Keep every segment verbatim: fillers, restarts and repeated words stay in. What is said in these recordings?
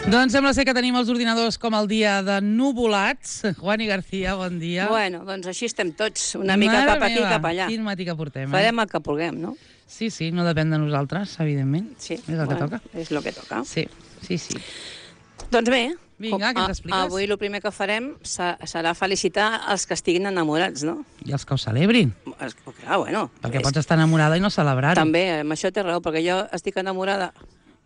Doncs sembla ser que tenim els ordinadors com el dia de nuvolats. Juani García, bon dia. Bueno, doncs així estem tots, una mica Mare cap aquí, meva, cap allà. Quin matí que portem, eh? Farem el que puguem, no? Sí, sí, no depèn de nosaltres, evidentment. Sí, és el bueno, que toca. És el que toca. Sí, sí, sí. Doncs bé, Vinga, què ens expliques? Avui el primer que farem serà felicitar els que estiguin enamorats, no? I els que ho celebrin. Es, clar, bueno. Perquè és, pots estar enamorada i no celebrar-ho. També, amb això té raó, perquè jo estic enamorada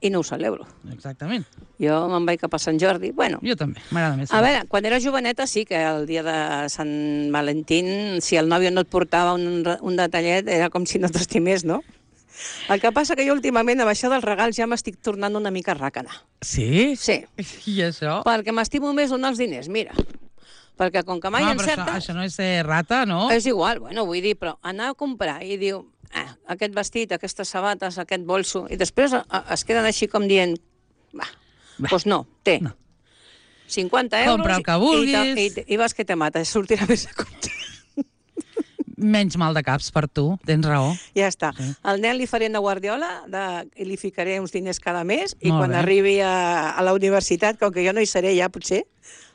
i no ho celebro. Exactament. Jo me'n vaig cap a Sant Jordi. Bueno, Jo també, m'agrada més. a veure, quan era joveneta sí que el dia de Sant Valentín, si el nòvio no et portava un, un detallet, era com si no t'estimés, no? El que passa que jo últimament amb això dels regals ja m'estic tornant una mica ràcana. Sí? Sí. I això? Perquè m'estimo més donar els diners, mira. Perquè com que mai no, encerta... Això, això no és ser rata, no? És igual, bueno, vull dir, però anar a comprar i diu, eh, aquest vestit, aquestes sabates, aquest bolso, i després a, a, es queden així com dient, va, doncs no, té. No. cinquanta euros Compra el que i, vulguis. i, i, i vas que te mates, sortirà més a compte. Menys mal de caps per tu, tens raó. Ja està. Sí. Al nen li faré una guardiola de, i li ficaré uns diners cada mes i Molt quan bé. arribi a, a la universitat, com que jo no hi seré ja, potser,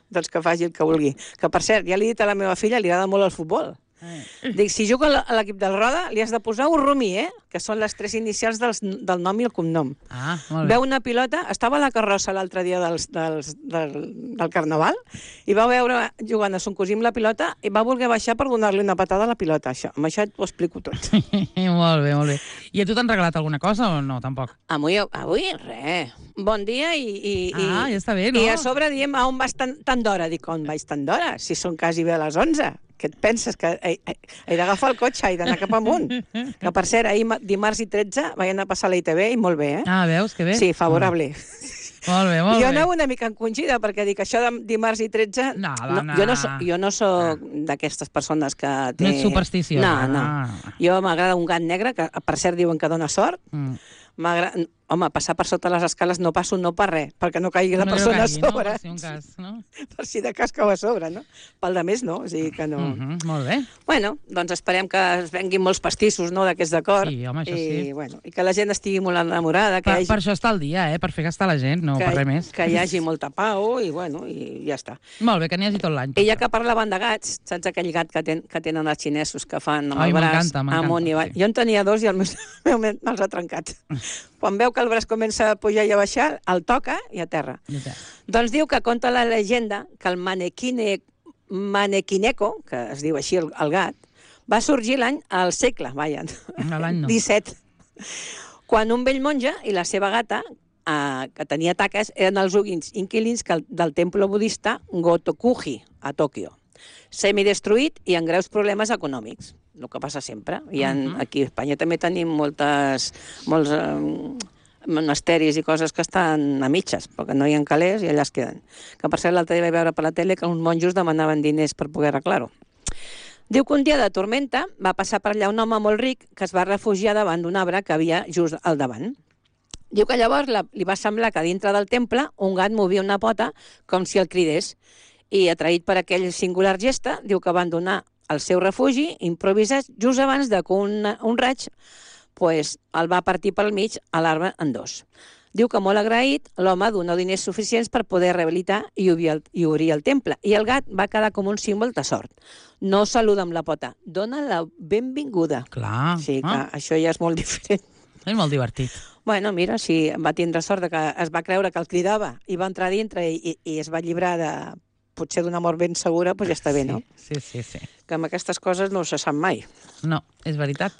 doncs que faci el que vulgui. Que, per cert, ja li he dit a la meva filla, li agrada molt el futbol. Eh. Dic, si juga a l'equip del Roda, li has de posar un Rumi, eh? Que són les tres inicials dels, del nom i el cognom. Ah, molt bé. Veu una pilota, estava a la carrossa l'altre dia dels, dels, del, del Carnaval, i va veure jugant a son cosí amb la pilota i va voler baixar per donar-li una patada a la pilota. Això, amb això t'ho explico tot. Molt bé, molt bé. I a tu t'han regalat alguna cosa o no, tampoc? Avui, avui res. Bon dia i... i Ah, i, ja està bé, no? I a sobre diem, a on vas tan, tan d'hora? Dic, on vaig tan d'hora? Si són quasi bé a les onze. Què et penses? Que he, he, he d'agafar el cotxe i d'anar cap amunt. Que, per cert, ahir dimarts i tretze vaig anar a passar a la I T V i molt bé, eh? Ah, veus, que bé. Sí, favorable. Molt bé, molt Jo bé. anava una mica encongida, perquè dic, això de dimarts i tretze... No, no, dona. jo no, so, jo no soc d'aquestes persones que té... No ets supersticiosa. No, no. Jo m'agrada un gat negre, que per cert diuen que dona sort. Mm. M'agrada... Home, passar per sota les escales no passo no per res, perquè no caigui la No persona caigui, a sobre. No? Per si un cas, no? Per si de cas cau a sobre, no? Pel de més no, o sigui que no... Mm -hmm, molt bé. Bueno, doncs esperem que es venguin molts pastissos, no?, d'aquests d'acord. Sí, home, això I, sí. Bueno, i que la gent estigui molt enamorada, que, Per, hi hagi, per això està el dia, eh? Per fer gastar la gent, no que, per res més. que hi hagi molta pau i, bueno, i ja està. Molt bé, que n'hi hagi tot l'any. I ja que parlaven de gats, saps aquell gat que, ten, que tenen els xinesos que fan amb Ai, el braç m'encanta, m'encanta, amunt i avall? sí. Jo en tenia dos i el meu, meu me'ls ha trencat. Quan veu que el braç comença a pujar i a baixar, el toca i a terra. Ja té. Doncs diu que conta la llegenda que el manequine, manequineco, que es diu així el, el gat, va sorgir l'any al segle, vaja, A l'any no. disset, quan un vell monja i la seva gata, eh, que tenia taques, eren els últims inquilins que el, del temple budista Gotokuji, a Tòquio. Semidestruït i amb greus problemes econòmics, el que passa sempre. I en, Uh-huh. aquí a Espanya també tenim moltes, molts eh, monasteris i coses que estan a mitges, perquè no hi ha calés i allà es queden. Que per cert l'altre dia vaig veure per la tele que uns monjos demanaven diners per poder arreglar-ho. Diu que un dia de tormenta va passar per allà un home molt ric que es va refugiar davant d'un arbre que havia just al davant. Diu que llavors la, li va semblar que dintre del temple un gat movia una pota com si el cridés i, atraït per aquell singular gesta, diu que van donar el seu refugi improvisat just abans de que un, un raig pues, el va partir pel mig a l'arbre en dos. Diu que molt agraït, l'home donà diners suficients per poder rehabilitar i obrir, el, i obrir el temple. I el gat va quedar com un símbol de sort. No saluda amb la pota, dona la benvinguda. Clar. O sigui que Ah, això ja és molt diferent. és molt divertit. Bueno, mira, si va tindre sort de que es va creure que el cridava i va entrar dintre i, i, i es va llibrar de potser d'una mort ben segura, doncs ja està bé, no? Sí, sí, sí. Que amb aquestes coses no se sap mai. No, és veritat.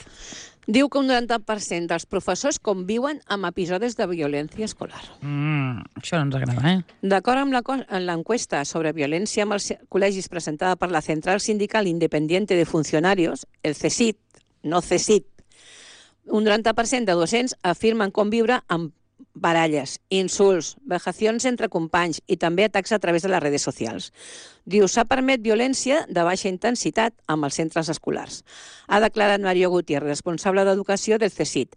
Diu que un noranta per cent dels professors conviuen amb episodis de violència escolar. Mm, això no ens agrada, eh? D'acord amb la co- amb l'encuesta sobre violència amb els col·legis presentada per la Central Sindical Independiente de Funcionarios, el CESIT, no CESIT, un noranta per cent de docents afirmen conviure amb baralles, insults, vejacions entre companys i també atacs a través de les redes socials. Diu, s'ha permet violència de baixa intensitat amb els centres escolars. Ha declarat Mario Gutiérrez, responsable d'educació del CESIT.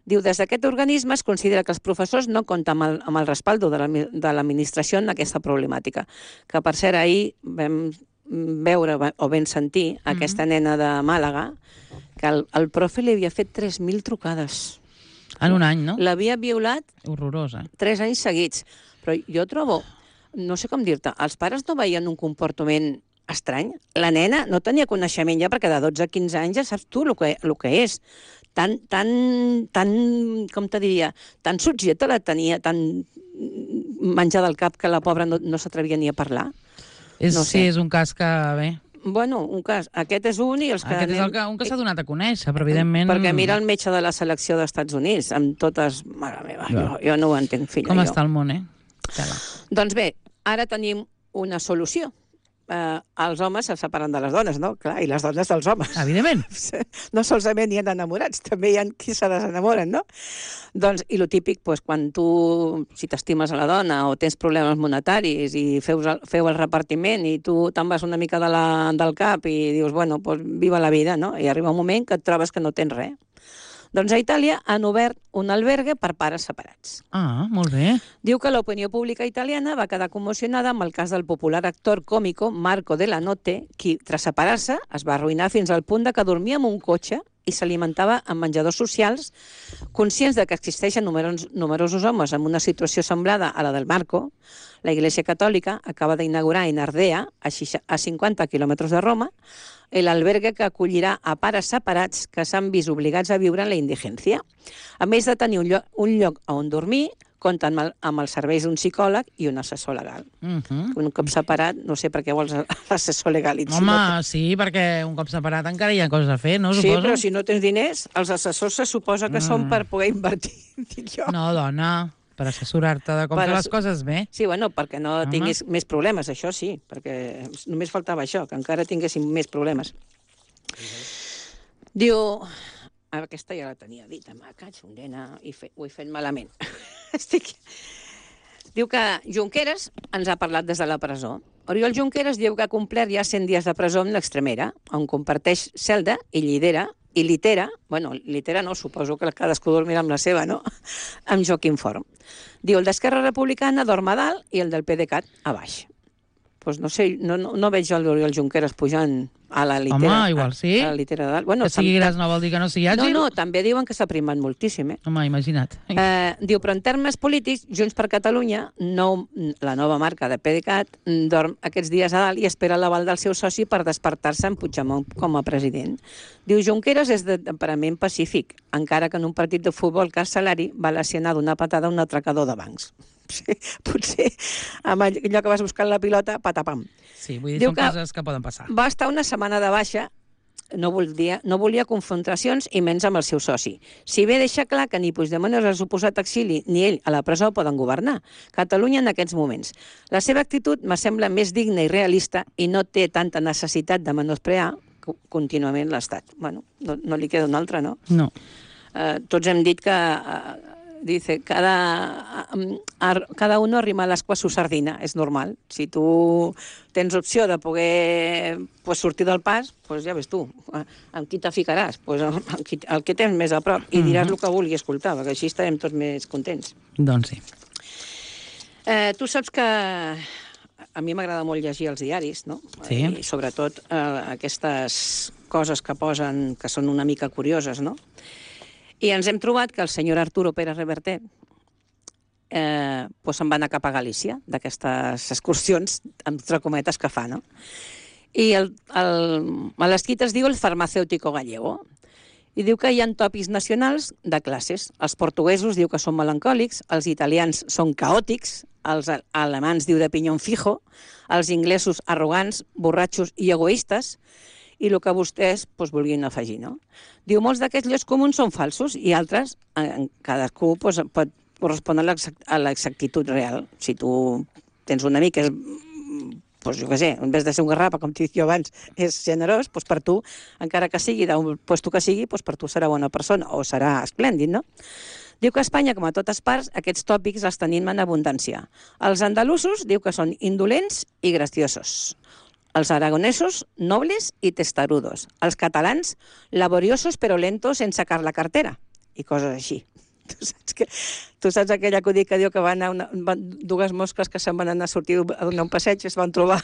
Diu, des d'aquest organisme es considera que els professors no compten amb el, amb el respaldo de l'admi- de l'administració en aquesta problemàtica. Que, per cert, ahir vam veure o vam sentir aquesta nena de Màlaga que el, el profe li havia fet tres mil trucades. En un any, no? L'havia violat Horrorosa. tres anys seguits. Però jo trobo, no sé com dir-te, els pares no veien un comportament estrany? La nena no tenia coneixement ja, perquè de dotze a quinze anys ja saps tu el que, el que és. Tan, tan, tan, com te diria, tan subjecta la tenia, tan menjada al cap que la pobra no, no s'atrevia ni a parlar. És, No sé. Sí, és un cas que, bé... Bueno, un cas. Aquest és un i els que... Aquest és anem- el que, un que s'ha donat a conèixer, però evidentment... Perquè mira el metge de la selecció dels Estats Units, amb totes... Mare meva, Ja. jo, jo no ho entenc, filla. Com jo. està el món, eh? Tela. Doncs bé, ara tenim una solució. Eh, els homes se separen de les dones, no? Clar, i les dones dels homes. Evidentment. No solament hi ha enamorats, també hi ha qui se desenamoren, no? Doncs, i lo típic, doncs, quan tu, si t'estimes a la dona o tens problemes monetaris i feu, feu el repartiment i tu te'n vas una mica de la, del cap i dius, bueno, doncs viva la vida, no? I arriba un moment que et trobes que no tens res. Doncs a Itàlia han obert un albergue per pares separats. Ah, molt bé. Diu que l'opinió pública italiana va quedar commocionada amb el cas del popular actor còmico Marco Della Notte, qui, tras separar-se, es va arruïnar fins al punt de que dormia en un cotxe i s'alimentava en menjadors socials, conscients de que existeixen numerosos, numerosos homes amb una situació semblada a la del Marco. La Iglesia Catòlica acaba d'inaugurar en Ardea, a cinquanta quilòmetres de Roma, l'albergue que acollirà a pares separats que s'han vist obligats a viure en la indigència. A més de tenir un lloc, un lloc on dormir, compten amb, amb els serveis d'un psicòleg i un assessor legal. Uh -huh. Un cop separat, no sé per què vols l'assessor legal. I si Home, no te... sí, perquè un cop separat encara hi ha coses a fer, no? Sí, Suposo? però si no tens diners, els assessors se suposa que mm. són per poder invertir, dic jo. No, dona, per assessorar-te de com Per fer ass- les coses bé. Sí, bueno, perquè no Home. tinguis més problemes, això sí, perquè només faltava això, que encara tinguéssim més problemes. Diu... Aquesta ja la tenia dita, me caig, un nena, i fe... ho he fet malament. Estic... Diu que Junqueras ens ha parlat des de la presó. Oriol Junqueras diu que ha complert ja cent dies de presó amb l'Extremera, on comparteix celda i lidera, i litera, bueno, litera no, suposo que cadascú dormirà amb la seva, no?, amb Joaquim Forn. Diu, el d'Esquerra Republicana dorm a dalt i el del PDeCAT a baix. Doncs no sé, no, no, no veig el d'Oriol Junqueras pujant a la litera. Home, igual sí. A la litera de dalt. Bueno, Que sigui tam- gras no vol dir que no sigui No, àgil? no, també diuen que s'ha primat moltíssim, eh? Home, imagina't. Eh, diu, però en termes polítics, Junts per Catalunya, nou, la nova marca de PDeCAT, dorm aquests dies a dalt i espera l'aval del seu soci per despertar-se en Puigdemont com a president. Diu, Junqueras és de temperament pacífic, encara que en un partit de futbol Carcelari va lesionar d'una patada un atracador de bancs. Sí, potser amb allò que vas buscar la pilota, patapam. Sí, vull dir, Diu són que- coses que poden passar. Va estar una setmana de baixa, no volia, no volia confrontacions i menys amb el seu soci. Si bé deixa clar que ni Puigdemont és el suposat exili ni ell a la presó poden governar Catalunya en aquests moments. La seva actitud me sembla més digna i realista i no té tanta necessitat de menysprear co- contínuament l'Estat. Bueno, no, no li queda una altra, no? No. Eh, tots hem dit que eh, dice, cada, eh, ar- cada uno arrima a l'ascua a su sardina, és normal. Si tu tens opció de poder pues, sortir del pas, pues, ja ves tu, eh, amb qui te ficaràs? Pues, amb qui, el que tens més a prop, i diràs el que vulgui escoltar, perquè així estarem tots més contents. Doncs sí. Eh, tu saps que a mi m'agrada molt llegir els diaris, no? Sí. I sobretot eh, aquestes coses que posen que són una mica curioses, no? I ens hem trobat que el senyor Arturo Pérez Reverte eh, pues se'n va anar cap a Galícia, d'aquestes excursions, entre cometes, que fa, no? I el, el, a l'escrit es diu el farmacèutico gallego, i diu que hi ha tòpics nacionals de classes. Els portuguesos diu que són melancòlics, els italians són caòtics, els alemans diu de pinyón fijo, els inglesos arrogants, borratxos i egoistes, i el que vostès pues, vulguin afegir, no? Diu, molts d'aquests llocs comuns són falsos i altres, en cadascú pues, pot correspondre a l'exactitud real. Si tu tens un amic que és, pues, jo què sé, en vez de ser un garrapa, com t'he dit jo abans, és generós, pues, per tu, encara que sigui d'un puesto que sigui, pues, per tu serà bona persona o serà esplèndid, no? Diu que a Espanya, com a totes parts, aquests tòpics els tenim en abundància. Els andalusos diu que són indolents i graciosos. Els aragonesos, nobles i testarudos. Els catalans, laboriosos però lentos en sacar la cartera. I coses així. Tu saps, que, tu saps aquell acudit que diu que van, una, van dues mosques que se'n van anar a sortir a donar un passeig i es van trobar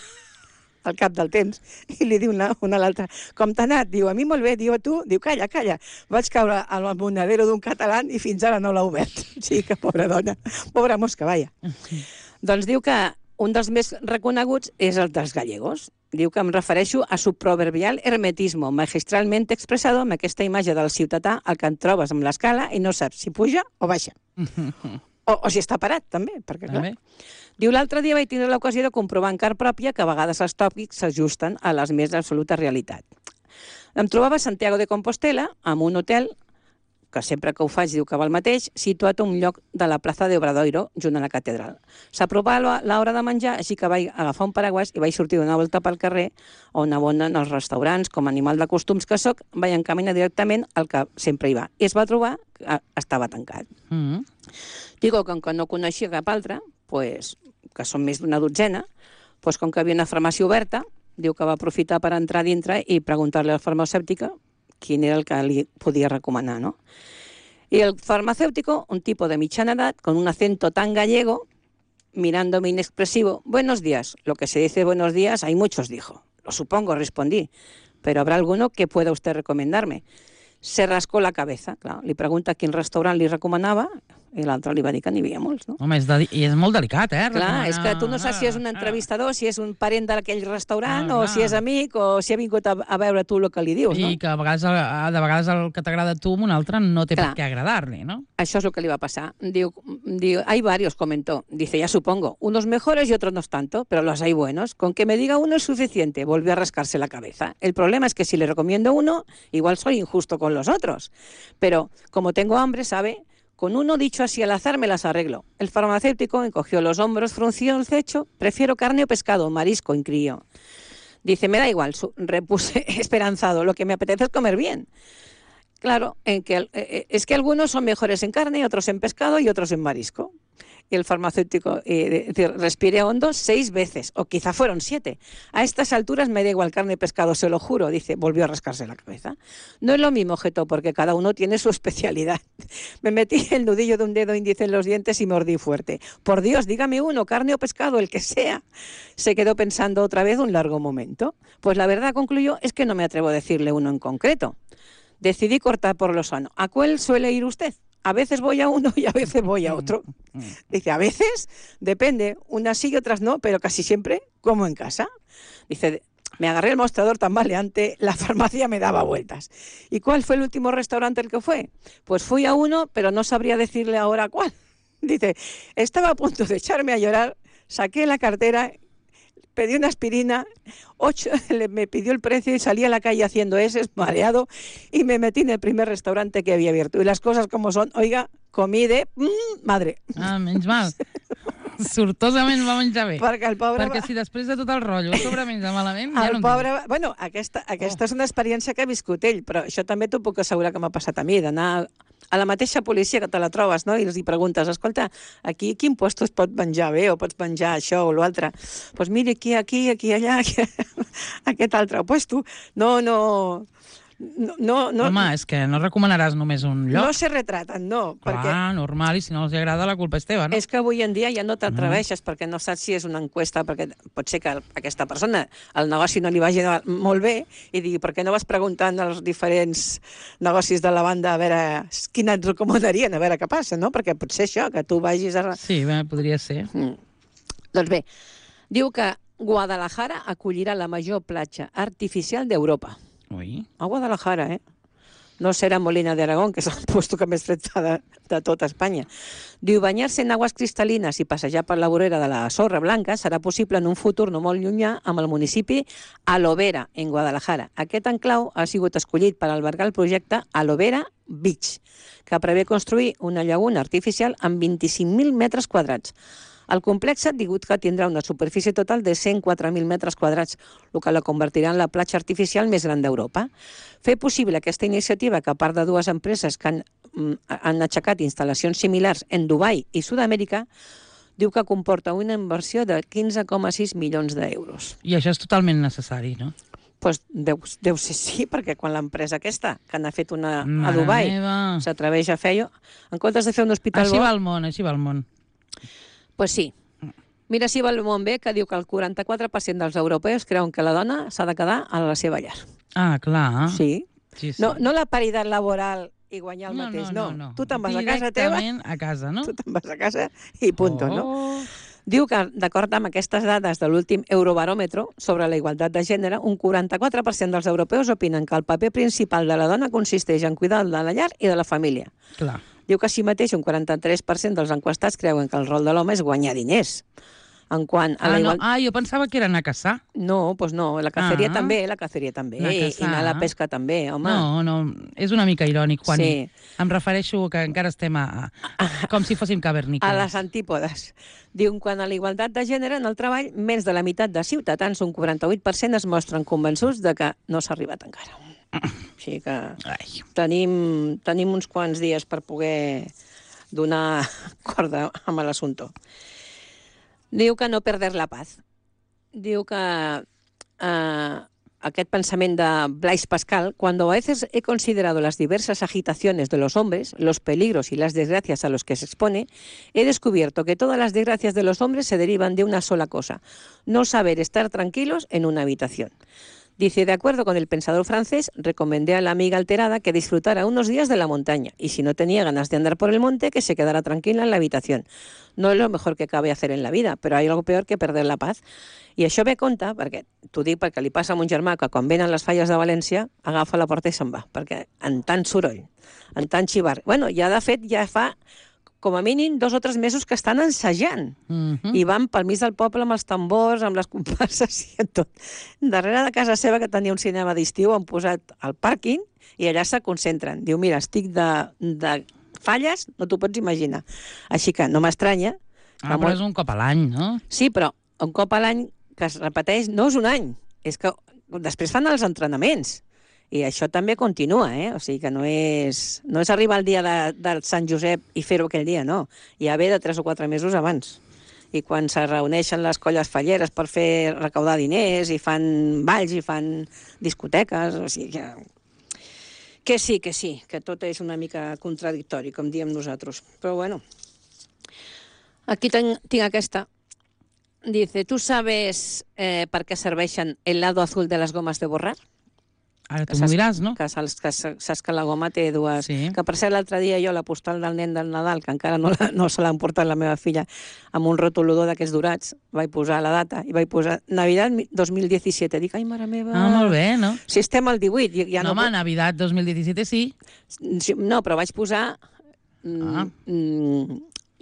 al cap del temps, i li diu una, una a l'altra, com t'ha anat? Diu, a mi molt bé, diu a tu, diu, calla, calla, vaig caure al monedero d'un català i fins ara no l'ha obert. Sí, que pobra dona, pobra mosca, vaja. Doncs diu que un dels més reconeguts és el dels gallegos. Diu que em refereixo a su proverbial hermetismo, magistralmente expressado amb aquesta imatge del ciutadà al que et trobes amb l'escala i no saps si puja o baixa. o, o si està parat, també, perquè clar. També. Diu, l'altre dia vaig tindre l'ocasió de comprovar en car pròpia que a vegades els tòpics s'ajusten a les més absoluta realitat. Em trobava a Santiago de Compostela, en un hotel, que sempre que ho faig diu que va al mateix, situat a un lloc de la plaça de Obradoiro, junt a la catedral. S'apropava l'hora de menjar, així que vaig agafar un paraguas i vaig sortir d'una volta pel carrer, on abonden els restaurants, com a animal de costums que sóc, vaig encaminar directament al que sempre hi va. I es va trobar que estava tancat. Mm -hmm. Digo, com que no coneixia cap altre, pues, que són més d'una dotzena, pues, com que havia una farmàcia oberta, diu que va aprofitar per entrar dintre i preguntar-li a la farmacèutica quin era el que li podia recomanar, ¿no? Y el farmacéutico, un tipo de mitjana edad, con un acento tan gallego, mirándome inexpresivo, buenos días. Lo que se dice buenos días, hay muchos, dijo. Lo supongo, respondí, pero ¿habrá alguno que pueda usted recomendarme? Se rascó la cabeza, clar, li pregunta quin restaurant li recomanava, i l'altre li va dir que n'hi havia molts, no? Home, és de... i és molt delicat, eh? Clar, recomanar... és que tu no saps si és un entrevistador, si és un parent d'aquell restaurant, ah, o si és amic, o si ha vingut a, a veure tu el que li dius, no? I que a vegades, a, de vegades el que t'agrada a tu amb un altre no té Clar. per què agradar-li, no? Això és el que li va pasar. Diu, diu, hay varios, comentó. Dice, ya supongo, unos mejores y otros no tanto, pero los hay buenos. Con que me diga uno es suficiente. Volvió a rascarse la cabeza. El problema es que si le recomiendo uno, igual soy injusto con los otros. Pero como tengo hambre, ¿sabe? Con uno dicho así al azar me las arreglo. El farmacéutico encogió los hombros, frunció el cecho. Prefiero carne o pescado, marisco, incrió. Dice, me da igual, su, repuse esperanzado, lo que me apetece es comer bien. Claro, en que, eh, es que algunos son mejores en carne, otros en pescado y otros en marisco. Y el farmacéutico eh, respiré hondo seis veces, o quizá fueron siete. A estas alturas me da igual carne y pescado, se lo juro, dice, volvió a rascarse la cabeza. No es lo mismo, objetó, porque cada uno tiene su especialidad. Me metí el nudillo de un dedo índice en los dientes y mordí fuerte. Por Dios, dígame uno, carne o pescado, el que sea. Se quedó pensando otra vez un largo momento. Pues la verdad, concluyó, es que no me atrevo a decirle uno en concreto. Decidí cortar por lo sano. ¿A cuál suele ir usted? A veces voy a uno y a veces voy a otro. Dice, a veces, depende, unas sí y otras no, pero casi siempre como en casa. Dice, me agarré el mostrador tambaleante, la farmacia me daba vueltas. ¿Y cuál fue el último restaurante al que fue? Pues fui a uno, pero no sabría decirle ahora cuál. Dice, estaba a punto de echarme a llorar, saqué la cartera, pedí una aspirina, ocho, me pidió el precio y salí a la calle haciendo ese, mareado, y me metí en el primer restaurante que había abierto. Y las cosas como son, oiga, comí de mmm, madre. Ah, menys mal. Sortosament va menjar bé. Perquè el pobre... Perquè si després de tot el rotllo sobre menjar malament, ja el no pobre... Bueno, aquesta, aquesta oh. és una experiència que ha viscut ell, però això també t'ho puc assegurar que m'ha passat a mi, d'anar a la mateixa policia que te la trobes, no? I els hi preguntes, escolta, aquí quin puesto es pot menjar bé o pots menjar això o l'altre? Doncs pues mira, aquí, aquí, aquí, allà, aquí, aquest altre puesto. No, no... No, no, no, Home, és que no recomanaràs només un lloc. No se retraten, no. Clar, perquè normal, i si no els agrada la culpa és teva, no? És que avui en dia ja no t'atreveixes, mm. perquè no saps si és una enquesta, perquè pot ser que aquesta persona, el negoci no li vagi molt bé, i digui, per què no vas preguntant als diferents negocis de la banda a veure quina et recomanarien, a veure què passa, no? Perquè pot ser això, que tu vagis a... Sí, bé, podria ser. Mm. Doncs bé, diu que Guadalajara acollirà la major platja artificial d'Europa. Ui. A Guadalajara, eh? No serà Molina de Aragón, que és el puesto que més fred fa de, de tota Espanya. Diu, banyar-se en aguas cristal·lines i passejar per la vorera de la sorra blanca serà possible en un futur no molt llunyà amb el municipi Alovera, en Guadalajara. Aquest enclau ha sigut escollit per albergar el projecte Alovera Beach, que prevé construir una llaguna artificial amb vint-i-cinc mil metres quadrats. El complex digut que tindrà una superfície total de cent quatre mil metres quadrats, el que la convertirà en la platja artificial més gran d'Europa. Fer possible aquesta iniciativa, que a part de dues empreses que han, han aixecat instal·lacions similars en Dubai i Sud-amèrica, diu que comporta una inversió de quinze coma sis milions d'euros. I això és totalment necessari, no? Pues deu, deu ser sí, perquè quan l'empresa aquesta, que n'ha fet una a Dubai, s'atreveix a fer-ho, en comptes de fer un hospital així bo... va el món, així va el món. Pues sí. Mira si va el món bé, que diu que el quaranta-quatre per cent dels europeus creuen que la dona s'ha de quedar a la seva llar. Ah, clar. Sí. sí, sí. No, no la paritat laboral i guanyar el no, mateix, no. no. no, no. Tu te'n vas a casa teva... Directament a casa, no? Tu te'n vas a casa i punto, oh. no? Diu que, d'acord amb aquestes dades de l'últim Eurobaròmetre sobre la igualtat de gènere, un quaranta-quatre per cent dels europeus opinen que el paper principal de la dona consisteix en cuidar de la llar i de la família. Clar. Diu que així mateix un quaranta-tres per cent dels enquestats creuen que el rol de l'home és guanyar diners. En quant a Ah, la no. igual... ah, jo pensava que era anar a caçar. No, doncs no, la caceria Ah. també, la caceria també, Anar a i, i caçar. anar a la pesca també, home. No, no, és una mica irònic, Juani. Sí. Em refereixo que encara estem a, a com si fóssim cavernícoles. A les antípodes. Diu, quant a la igualtat de gènere en el treball, més de la meitat de ciutadans, un quaranta-vuit per cent, es mostren convençuts de que no s'ha arribat encara. Així que Ai. tenim, tenim uns quants dies per poder donar corda amb l'assumpte. Diu que no perder la paz. Diu que eh, aquest pensament de Blaise Pascal, cuando a veces he considerado las diversas agitaciones de los hombres, los peligros y las desgracias a los que se expone, he descubierto que todas las desgracias de los hombres se derivan de una sola cosa, no saber estar tranquilos en una habitación. Dice, de acuerdo con el pensador francés, recomendé a la amiga alterada que disfrutara unos días de la montaña y si no tenía ganas de andar por el monte, que se quedara tranquila en la habitación. No es lo mejor que cabe hacer en la vida, però hay algo peor que perder la paz. I això ve a compte, perquè t'ho dic perquè li passa a mon germà que quan venen les falles de València agafa la porta i se'n va, perquè en tant soroll, en tant xivar... Bueno, ja de fet ja fa com a mínim dos o tres mesos que estan ensajant. Mhm. I van pel mig del poble amb els tambors, amb les comparses i tot. Darrere de casa seva, que tenia un cinema d'estiu, han posat el pàrquing i allà se concentren. Diu, mira, estic de, de falles, no t'ho pots imaginar. Així que no m'estranya. Ah, però és un cop a l'any, no? Sí, però un cop a l'any que es repeteix no és un any, és que després fan els entrenaments. I això també continua, eh? O sigui que no és, no és arribar al dia de, del Sant Josep i fer-ho aquell dia, no. Ja ve de tres o quatre mesos abans. I quan se reuneixen les colles falleres per fer recaudar diners i fan balls i fan discoteques, o sigui que... Que sí, que sí, que tot és una mica contradictori, com diem nosaltres. Però bueno, aquí tinc, tinc aquesta. Dice, ¿tú sabes eh, per què serveixen el lado azul de les gomes de borrar? Ara tu Que m'ho saps- diràs, no? Que saps, que saps que la goma té dues... Sí. Que per cert, l'altre dia jo la postal del nen del Nadal, que encara no, la, no se l'han portat la meva filla, amb un rotulodor d'aquests dorats, vaig posar la data i vaig posar Navidad dos mil disset. Dic, ai, mare meva... Ah, molt bé, no? Si estem al divuit, ja, ja no, no... home, Navidad dos mil disset sí. Sí, no, però vaig posar... Mm, Ah. mm,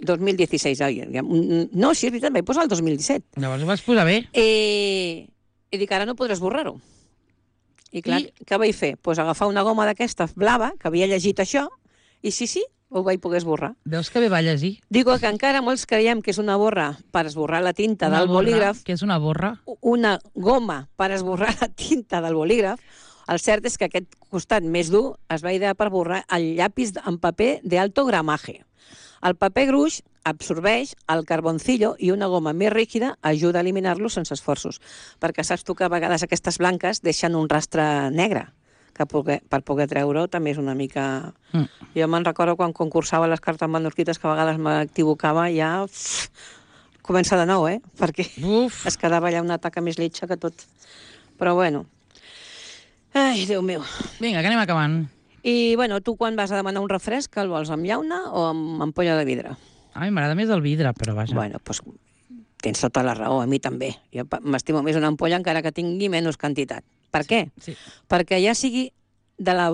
dos mil disset. Ai, ja- mm, no, sí, és veritat, vaig posar el dos mil disset. Llavors ho vas posar bé. I, i dic, ara no podràs borrar-ho. I clar, I- què vaig fer? Pues agafar una goma d'aquesta blava, que havia llegit això, i sí, sí, ho vaig poder esborrar. Veus que bé va llegir. Digo que encara molts creiem que és una borra per esborrar la tinta Una del borra, bolígraf, que és una borra. una goma per esborrar la tinta del bolígraf. El cert és que aquest costat més dur es va idear per borrar el llapis en paper d'alto gramaje. El paper gruix absorbeix el carboncillo i una goma més rígida ajuda a eliminar-lo sense esforços. Perquè saps tu que a vegades aquestes blanques deixen un rastre negre, que poder, per poder treure-ho també és una mica... Mm. Jo me'n recordo quan concursava les cartes manuscrites que a vegades m'equivocava, ja uf, comença de nou, eh? Perquè Uf. es quedava allà una taca més lletja que tot. Però bueno... Ai, Déu meu. Vinga, que anem acabant. I, bueno, tu quan vas a demanar un refresc, el vols amb llauna o amb ampolla de vidre? A mi m'agrada més el vidre, però vaja. Bueno, doncs tens tota la raó, a mi també. Jo pa- m'estimo més una ampolla encara que tingui menys quantitat. Per què? Sí. Perquè ja sigui de la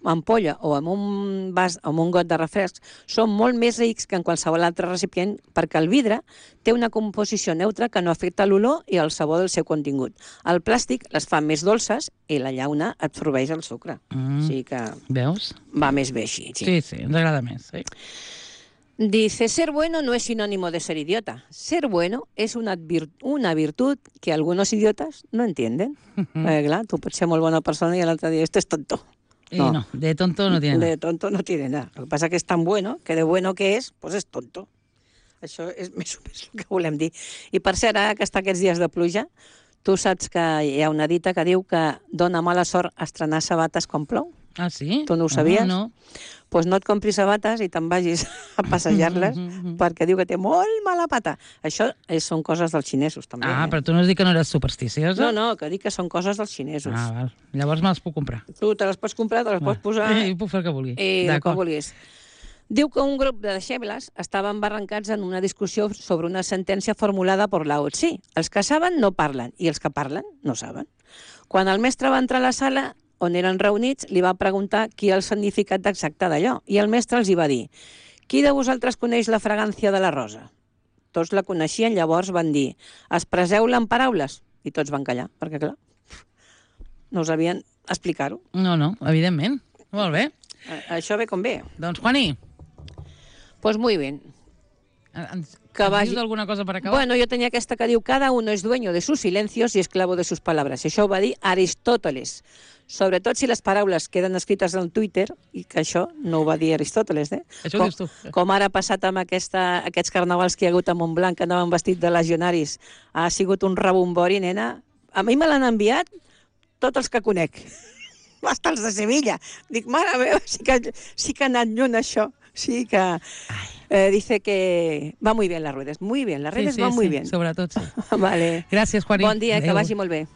ampolla o amb un vas o amb un got de refresc, són molt més rics que en qualsevol altre recipient perquè el vidre té una composició neutra que no afecta l'olor i el sabor del seu contingut. El plàstic les fa més dolces i la llauna absorbeix el sucre. Mm. O sigui que Veus? va més bé així. Sí. Sí, sí, ens agrada més. Sí. Dice, ser bueno no es sinónimo de ser idiota. Ser bueno es una, vir- una virtud que algunos idiotas no entienden. Eh, clar, tu pots ser molt bona persona i l'altre dia, este es tonto. I no. no, de tonto no tiene nada. De tonto no tiene nada. Lo que pasa que es tan bueno que de bueno que és, pues és tonto. Això és més o menys el que volem dir. I per cert, ara que està aquests dies de pluja, tu saps que hi ha una dita que diu que dona mala sort estrenar sabates quan plou? Ah, sí? Tu no ho sabies? Ah, no. Doncs pues no et compris sabates i te'n vagis a passejar-les perquè diu que té molt mala pata. Això és, són coses dels xinesos, també. Ah, eh? però tu no has dit que no eres supersticiosa? No, no, que dic que són coses dels xinesos. Ah, val. Llavors me les puc comprar. Tu te les pots comprar, te les pots posar I puc fer el que vulgui. i el que D'acord. vulguis. Diu que un grup de deixebles estaven barrancats en una discussió sobre una sentència formulada per la O C I. Els que saben no parlen i els que parlen no saben. Quan el mestre va entrar a la sala on eren reunits, li va preguntar qui el significat exacte d'allò i el mestre els hi va dir: qui de vosaltres coneix la fragància de la rosa? Tots la coneixien, llavors van dir: expresseu-la en paraules. I tots van callar, perquè clar, no sabien explicar-ho. No, no, evidentment. Molt bé. A- Això ve com ve. Doncs, Juani, Pues muy bien. ens, Que ens vagi- dius alguna cosa per acabar? Bueno, jo tenia aquesta que diu: cada uno es dueño de sus silencios y esclavo de sus palabras. Això ho va dir Aristòteles. Sobretot si les paraules queden escrites en Twitter, i que això no ho va dir Aristòteles, eh? Això ho com, dius tu. Com ara ha passat amb aquesta, aquests carnavals que hi ha hagut a Montblanc, que anaven vestits de legionaris. Ha sigut un rebombori, nena. A mi me l'han enviat tots els que conec. Hasta els de Sevilla. Dic, mare meva, sí que, sí que ha anat lluny això. Sí que... Eh, dice que va muy bien las redes. Muy bien, las redes sí, sí, van muy sí, bien. sobretot, sí. Vale. Gràcies, Juani. Bon dia, que Adéu. vagi molt bé.